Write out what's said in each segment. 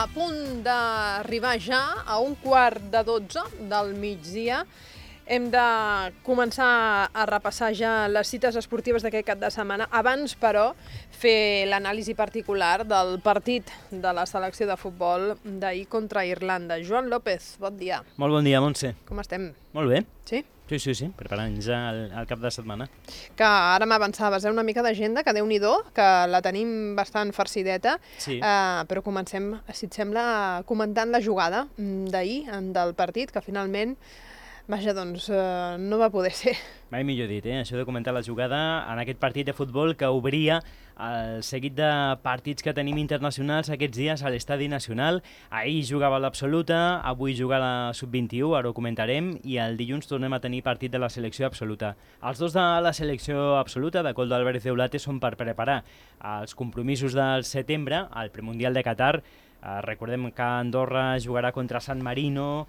a punt d'arribar ja a 11:45 del migdia. Hem de començar a repassar ja les cites esportives d'aquest cap de setmana. Abans, però, fer l'anàlisi particular del partit de la selecció de futbol d'ahir contra Irlanda. Joan López, bon dia. Molt bon dia, Montse. Com estem? Molt bé. Sí? Sí, preparant ja el cap de setmana. Que ara m'avançaves, una mica d'agenda, que Déu-n'hi-do, que la tenim bastant farcideta, Sí. Però comencem, si et sembla, comentant la jugada d'ahir, del partit, que finalment, vaja, doncs, no va poder ser. Mai millor dit, això de comentar la jugada en aquest partit de futbol que obria el seguit de partits que tenim internacionals aquests dies a l'Estadi Nacional. Ahir jugava l'Absoluta, avui juga la Sub-21, ara ho comentarem, i el dilluns tornem a tenir partit de la selecció absoluta. Els dos de la selecció absoluta, de Koldo Álvarez Deulate, són per preparar els compromisos del setembre, al premundial de Qatar. Recordem que Andorra jugarà contra San Marino,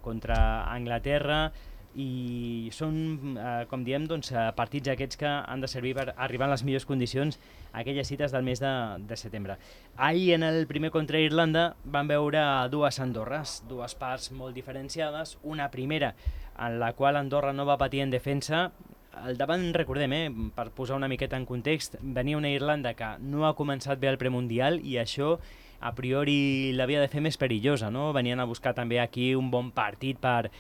contra Anglaterra, i són, com diem, doncs, partits aquests que han de servir per arribar en les millors condicions a aquelles cites del mes de setembre. Ahir, en el primer contra Irlanda, vam veure dues Andorres, dues parts molt diferenciades. Una primera, en la qual Andorra no va patir en defensa. Al davant, recordem, per posar una miqueta en context, venia una Irlanda que no ha començat bé el premundial i això a priori l'havia de fer més perillosa, no? Venien a buscar també aquí un bon partit per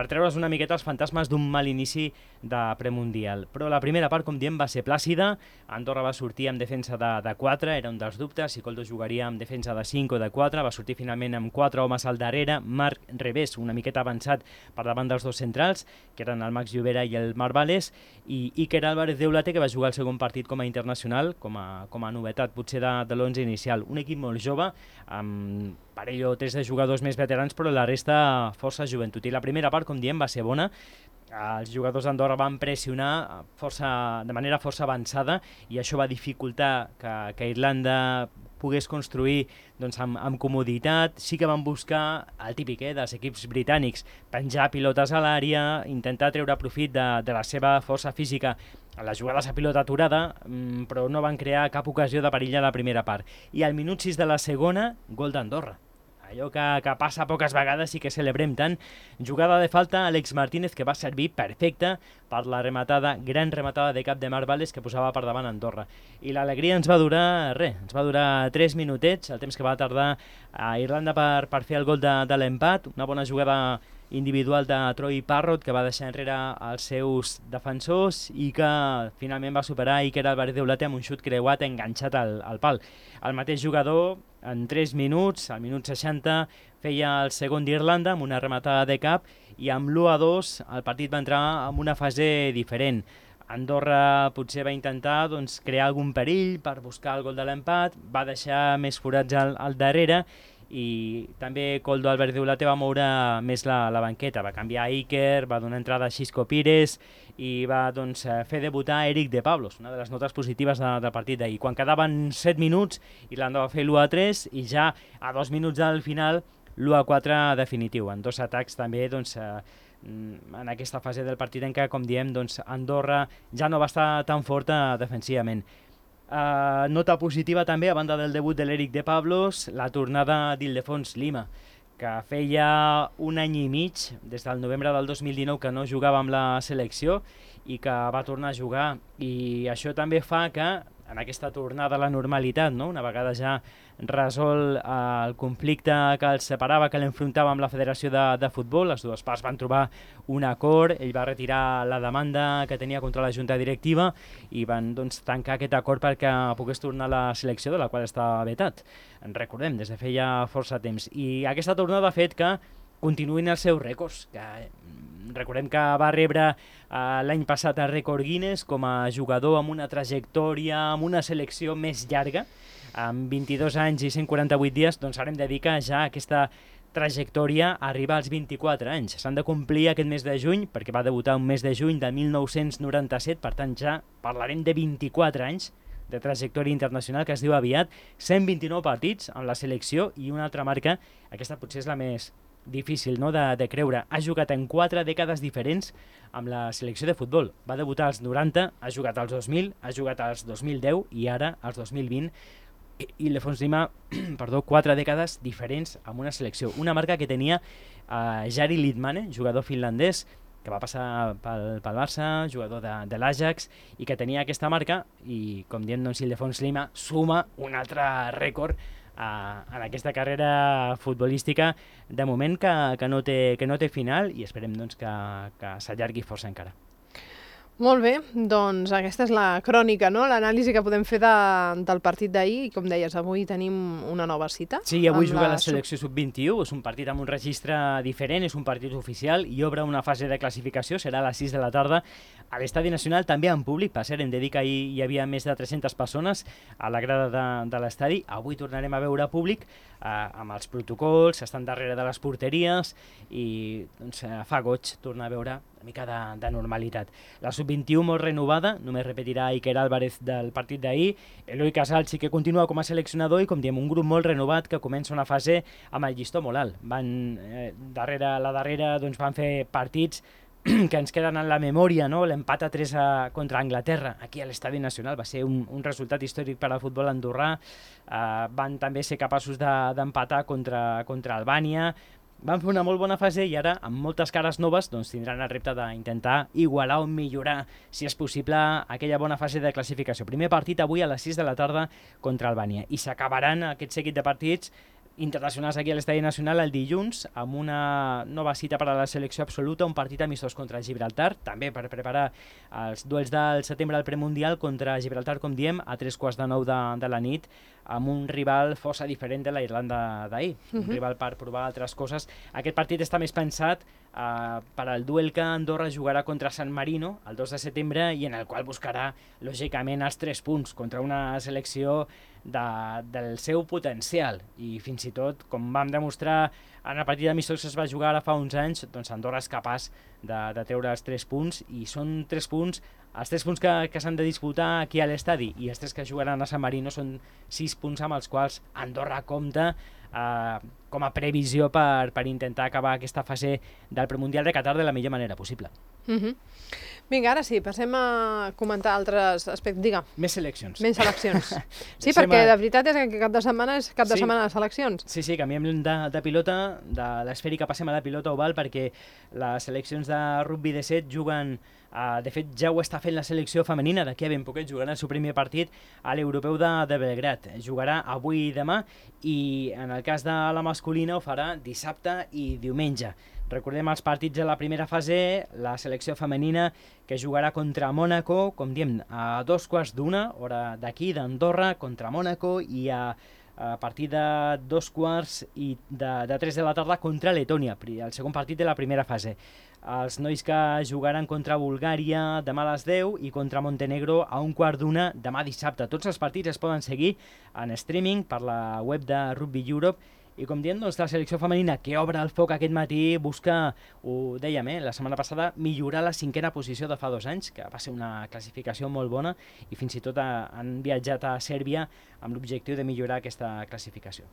treure's una miqueta els fantasmes d'un mal inici de premundial. Però la primera part, com diem, va ser plàcida. Andorra va sortir amb defensa de 4, era un dels dubtes, si Koldo jugaria amb defensa de 5 o de 4, va sortir finalment amb 4 homes al darrere, Marc Revés una miqueta avançat per davant dels dos centrals, que eren el Max Llobera i el Marc Vales, i Iker Álvarez Deulate, que va jugar el segon partit com a internacional, com a novetat potser de l'11 inicial. Un equip molt jove, amb parell o 3 de jugadors més veterans, però la resta força joventut. I la primera part, com diem, va ser bona. Els jugadors d'Andorra van pressionar de manera força avançada i això va dificultar que Irlanda pogués construir doncs, amb comoditat. Sí que van buscar el típic dels equips britànics, penjar pilotes a l'àrea, intentar treure profit de la seva força física a les jugades a pilota aturada, però no van crear cap ocasió de perill a la primera part. I al minut 6 de la segona, gol d'Andorra. Allò que passa poques vegades i que celebrem tant. Jugada de falta, Àlex Martínez, que va servir perfecta per la gran rematada de cap de Marc Vales que posava per davant Andorra. I l'alegria ens va durar 3 minutets, el temps que va tardar a Irlanda per fer el gol de l'empat. Una bona jugada individual de Troy Parrott, que va deixar enrere els seus defensors i que finalment va superar Iker Álvarez Deulate amb un xut creuat enganxat al pal. El mateix jugador, en 3 minuts, al minut 60, feia el segon d'Irlanda amb una rematada de cap i amb l'1-2 el partit va entrar en una fase diferent. Andorra potser va intentar crear algun perill per buscar el gol de l'empat, va deixar més forats al darrere i també Koldo Álvarez Deulate va moure més la banqueta, va canviar Iker, va donar entrada a Xisco Pires i va fer debutar Eric de Pablos, una de les notes positives del partit d'ahir. Quan quedaven 7 minuts, Irlanda va fer l'1-3 i ja a 2 minuts del final l'1-4 definitiu, en dos atacs també en aquesta fase del partit en què, com diem, Andorra ja no va estar tan forta defensivament. Nota positiva també, a banda del debut de l'Eric de Pablos, la tornada d'Ildefons Lima, que feia un any i mig, des del novembre del 2019, que no jugava amb la selecció i que va tornar a jugar. I això també fa que, en aquesta tornada a la normalitat, una vegada ja resol el conflicte que els separava, que l'enfrontava amb la Federació de Futbol, les dues parts van trobar un acord, ell va retirar la demanda que tenia contra la Junta Directiva i van tancar aquest acord perquè pogués tornar a la selecció, de la qual està vetat. En recordem, des de feia força temps. I aquesta tornada ha fet que continuïn els seus rècords, que recordem que va rebre l'any passat el rècord Guinness com a jugador amb una trajectòria, amb una selecció més llarga, amb 22 anys i 148 dies, doncs ara hem de dir que ja aquesta trajectòria arriba als 24 anys. S'han de complir aquest mes de juny, perquè va debutar un mes de juny de 1997, per tant ja parlarem de 24 anys de trajectòria internacional, que es diu aviat, 129 partits amb la selecció i una altra marca, aquesta potser és la més difícil de creure. Ha jugat en 4 dècades diferents amb la selecció de futbol. Va debutar als 90, ha jugat als 2000, ha jugat als 2010 i ara als 2020 Ildefons Lima, perdó, 4 dècades diferents amb una selecció. Una marca que tenia Jari Litmanen, jugador finlandès, que va passar pel Barça, jugador de l'Ajax, i que tenia aquesta marca, i com diem, doncs, Ildefons Lima suma un altre rècord en aquesta carrera futbolística de moment que no té final, i esperem doncs, que s'allargui força encara. Molt bé, doncs aquesta és la crònica, no? L'anàlisi que podem fer del partit d'ahir, i com deies, avui tenim una nova cita. Sí, avui juga la selecció sub-21, és un partit amb un registre diferent, és un partit oficial i obre una fase de classificació, serà a les 6 de la tarda a l'Estadi Nacional, també en públic. Per cert, hem de dir que ahir hi havia més de 300 persones a la grada de l'estadi. Avui tornarem a veure públic amb els protocols, estan darrere de les porteries i doncs, fa goig tornar a veure una mica de normalitat. La sub-21 molt renovada, només repetirà Iker Álvarez del partit d'ahir, Eloi Casal sí que continua com a seleccionador i, com diem, un grup molt renovat que comença una fase amb el llistó molt alt. La darrera doncs, van fer partits que ens queden en la memòria, no? L'empat a 3 contra Anglaterra, aquí a l'Estadi Nacional, va ser un resultat històric per al futbol andorrà. Van també ser capaços d'empatar contra Albània. Van fer una molt bona fase i ara, amb moltes cares noves, doncs, tindran el repte d'intentar igualar o millorar, si és possible, aquella bona fase de classificació. Primer partit avui a les 6 de la tarda contra Albània. I s'acabaran aquest seguit de partits internacionals aquí a l'Estadi Nacional el dilluns amb una nova cita per a la selecció absoluta, un partit amistós contra Gibraltar, també per preparar els duels del setembre al premundial contra Gibraltar, com diem, a 8:45 de la nit, amb un rival força diferent de la Irlanda d'ahir, un rival per provar altres coses. Aquest partit està més pensat per al duel que Andorra jugarà contra San Marino el 2 de setembre i en el qual buscarà, lògicament, els 3 punts contra una selecció del seu potencial, i fins i tot, com vam demostrar en el partit d'amistós que es va jugar ara fa uns anys, doncs Andorra és capaç de treure els 3 punts, i són 3 punts, els 3 punts que s'han de disputar aquí a l'estadi, i els 3 que jugaran a San Marino són 6 punts amb els quals Andorra compta com a previsió per intentar acabar aquesta fase del premundial de Qatar de la millor manera possible. Vinga, ara sí, passem a comentar altres aspectes. Digue. Més seleccions. Més seleccions. Sí, perquè de veritat és que cap de setmana és cap de setmana de seleccions. Sí, canviem de pilota, de l'esfèrica passem a la pilota oval, perquè les seleccions de rugby de 7 juguen, de fet ja ho està fent la selecció femenina, d'aquí a ben poquet jugarà el seu primer partit a l'Europeu de Belgrat. Jugarà avui i demà, i en el cas de la masculina ho farà dissabte i diumenge. Recordem els partits de la primera fase, la selecció femenina que jugarà contra Mònaco, com diem, a 2:15, hora d'aquí, d'Andorra, contra Mònaco, i a partir de 2:15 i de 3 de la tarda contra Letònia, el segon partit de la primera fase. Els nois que jugaran contra Bulgària demà a les 10 i contra Montenegro a 1:15 demà dissabte. Tots els partits es poden seguir en streaming per la web de Rugby Europe. I com diem, doncs, la selecció femenina que obre el foc aquest matí busca, ho dèiem, la setmana passada, millorar la 5a posició de fa 2 anys, que va ser una classificació molt bona, i fins i tot han viatjat a Sèrbia amb l'objectiu de millorar aquesta classificació.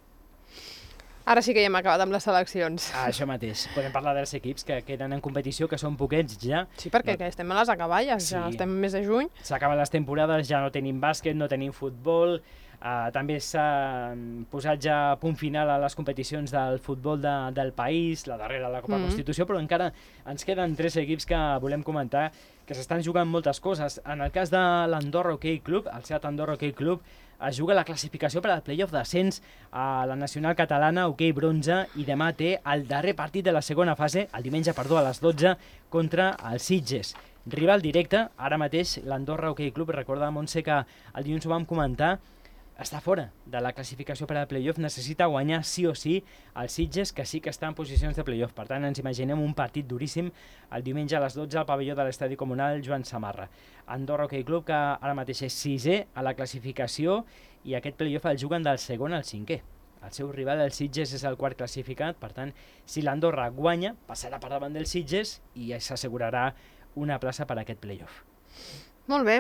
Ara sí que ja hem acabat amb les seleccions. Això mateix. Podem parlar dels equips que queden en competició, que són poquets ja. Sí, perquè estem a les acaballes, ja estem al mes de juny. S'acaben les temporades, ja no tenim bàsquet, no tenim futbol. També s'han posat ja a punt final a les competicions del futbol del país, la darrera, la Copa Constitució, però encara ens queden 3 equips que volem comentar, que s'estan jugant moltes coses. En el cas de l'Andorra Hockey Club, el Seat Andorra Hockey Club, es juga la classificació per al playoff d'ascens a la nacional catalana Hockey Bronze, i demà té el darrer partit de la segona fase, el diumenge, a les 12, contra el Sitges. Rival directe, ara mateix l'Andorra Hockey Club, recorda, Montse, que el dilluns ho vam comentar, està fora de la classificació per al playoff, necessita guanyar sí o sí el Sitges, que sí que està en posicions de playoff. Per tant, ens imaginem un partit duríssim el diumenge a les 12 al pavelló de l'Estadi Comunal Joan Samarra. Andorra Hockey Club, que ara mateix és 6è a la classificació, i aquest playoff el juguen del segon al 5è. El seu rival, el Sitges, és el 4 classificat, per tant, si l'Andorra guanya, passarà per davant del Sitges i s'assegurarà una plaça per a aquest playoff. Molt bé.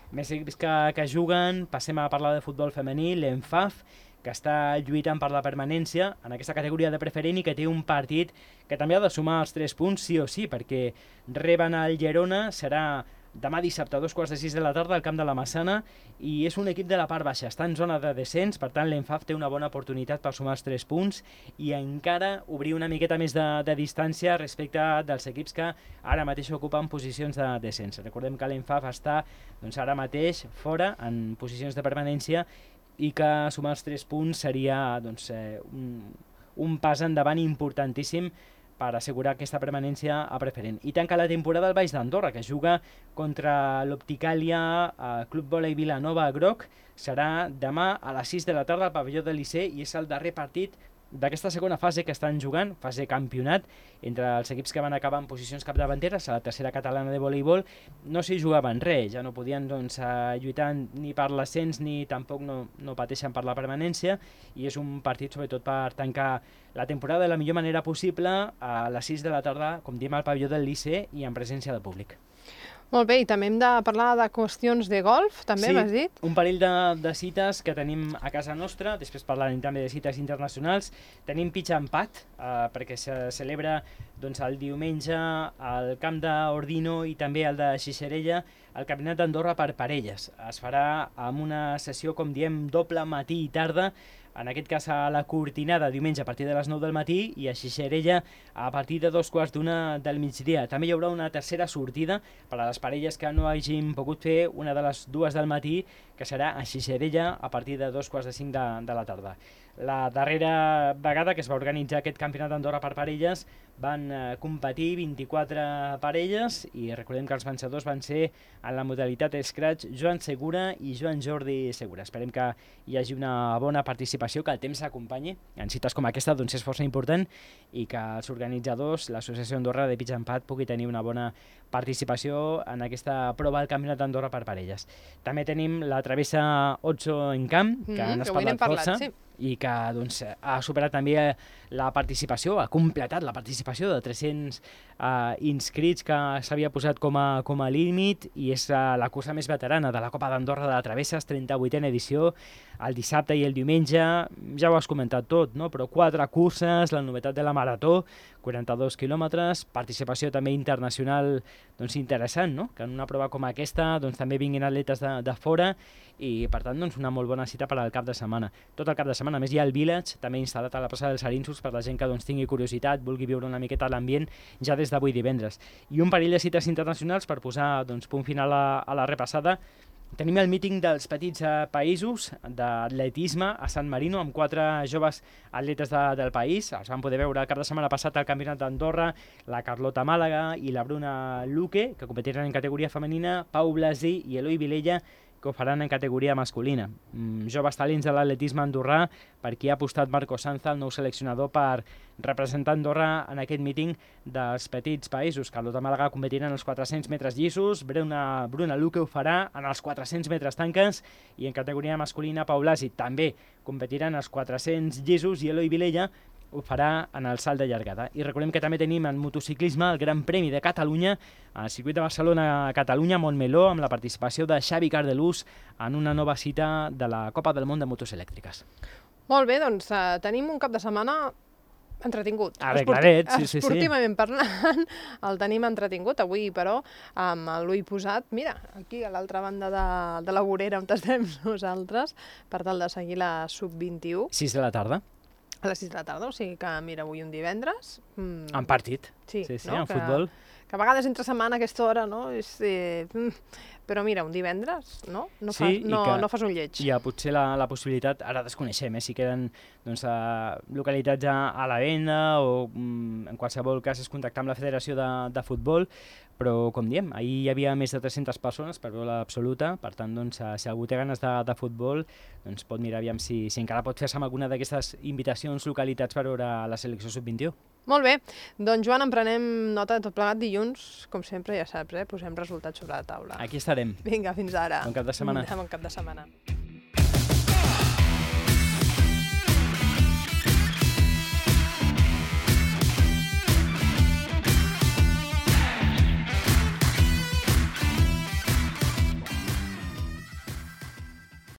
Més equips que juguen, passem a parlar de futbol femení, l'ENFAF, que està lluitant per la permanència en aquesta categoria de preferent i que té un partit que també ha de sumar els 3 punts sí o sí, perquè reben el Girona, serà demà dissabte a 2:45 de la tarda al camp de la Massana, i és un equip de la part baixa, està en zona de descens, per tant l'Enfaf té una bona oportunitat per sumar els 3 punts i encara obrir una miqueta més de distància respecte dels equips que ara mateix ocupen posicions de descens. Recordem que l'Enfaf està ara mateix fora en posicions de permanència i que sumar els 3 punts seria un pas endavant importantíssim per assegurar aquesta permanència a preferent. I tanca la temporada el Baix d'Andorra, que juga contra l'Opticàlia Club Volei Vilanova Groc. Serà demà a les 6 de la tarda al pavelló del Liceu i és el darrer partit d'aquesta segona fase que estan jugant, fase campionat, entre els equips que van acabar en posicions capdavanteres a la tercera catalana de voleibol. No s'hi jugaven res, ja no podien lluitar ni per l'ascens ni tampoc no pateixen per la permanència, i és un partit sobretot per tancar la temporada de la millor manera possible a les 6 de la tarda, com diem, al pavelló del Liceu i en presència de públic. Molt bé, i també hem de parlar de qüestions de golf, també m'has dit? Sí, un parell de cites que tenim a casa nostra, després parlarem també de cites internacionals. Tenim pitch and putt, perquè se celebra el diumenge al camp d'Ordino i també al de Xixerella, el Campionat d'Andorra per parelles. Es farà amb una sessió, com diem, doble matí i tarda, en aquest cas a la Cortinada diumenge a partir de les 9 del matí i a Xixerella a partir de 2:15 del migdia. També hi haurà una tercera sortida per a les parelles que no hagin pogut fer una de les 2 del matí, que serà a Xixerella a partir de 2:45 de la tarda. La darrera vegada que es va organitzar aquest Campionat d'Andorra per parelles van competir 24 parelles i recordem que els vencedors van ser en la modalitat Scratch Joan Segura i Joan Jordi Segura. Esperem que hi hagi una bona participació, que el temps s'acompanyi. En cites com aquesta és força important i que els organitzadors, l'Associació Andorra de Pitch and Putt, pugui tenir una bona participació en aquesta prova del Campionat d'Andorra per parelles. També tenim la travessa Otso en camp, que han parlat força. Sí. I que ha superat també la participació, ha completat la participació de 300 inscrits que s'havia posat com a límit, i és la cursa més veterana de la Copa d'Andorra de Travesses, 38a edició, el dissabte i el diumenge. Ja ho has comentat tot, no? Però 4 curses, la novetat de la marató, 42 quilòmetres, participació també internacional interessant, no? Que en una prova com aquesta també vinguin atletes de fora, i per tant una molt bona cita per al cap de setmana. Tot el cap de setmana, a més hi ha el Village també instal·lat a la plaça dels Arinsos per la gent que tingui curiositat, vulgui viure una miqueta l'ambient ja des d'avui divendres. I un parell de cites internacionals per posar punt final a la repassada. Tenim el míting dels petits països d'atletisme a San Marino amb 4 joves atletes del país. Els vam poder veure el cap de setmana passat al Campionat d'Andorra, la Carlota Màlaga i la Bruna Luque, que competiran en categoria femenina, Pau Blasi i Eloi Vilella, que ho faran en categoria masculina. Joves talents de l'atletisme andorrà, per qui ha apostat Marco Sanza, el nou seleccionador, per representar Andorra en aquest míting dels petits països. Carlota Màlaga competirà en els 400 metres llisos, Bruna Luque ho farà en els 400 metres tanques, i en categoria masculina Pau Blasi també competirà en els 400 llisos, i Eloi Vilella ho farà en el salt de llargada. I recordem que també tenim en motociclisme el Gran Premi de Catalunya al circuit de Barcelona a Catalunya, Montmeló, amb la participació de Xavi Cardelús en una nova cita de la Copa del Món de motos elèctriques. Molt bé, doncs tenim un cap de setmana entretingut. Arregladet, sí. Esportivament parlant, el tenim entretingut. Avui, però, amb l'ull posat, mira, aquí a l'altra banda de la vorera on estem nosaltres, per tal de seguir la sub-21. 6 de la tarda. A les 6 de la tarda, o sigui que, mira, avui un divendres... En partit. Sí, no? En futbol. Que a vegades entre setmana a aquesta hora, no? Però mira, un divendres, no? No fas un lleig. Hi ha potser la possibilitat, ara desconeixem, si queden localitats a la venda o en qualsevol cas és contactar amb la Federació de Futbol, però com diem, ahir hi havia més de 300 persones per veure l'absoluta, per tant, si algú té ganes de futbol, pot mirar aviam si encara pot fer-se amb alguna d'aquestes invitacions localitats per veure la selecció sub-21. Molt bé, doncs Joan, en prenem nota de tot plegat dilluns, com sempre, ja saps, posem resultats sobre la taula. Aquí estarem. Vinga, fins ara. Bon cap de setmana. Bon cap de setmana.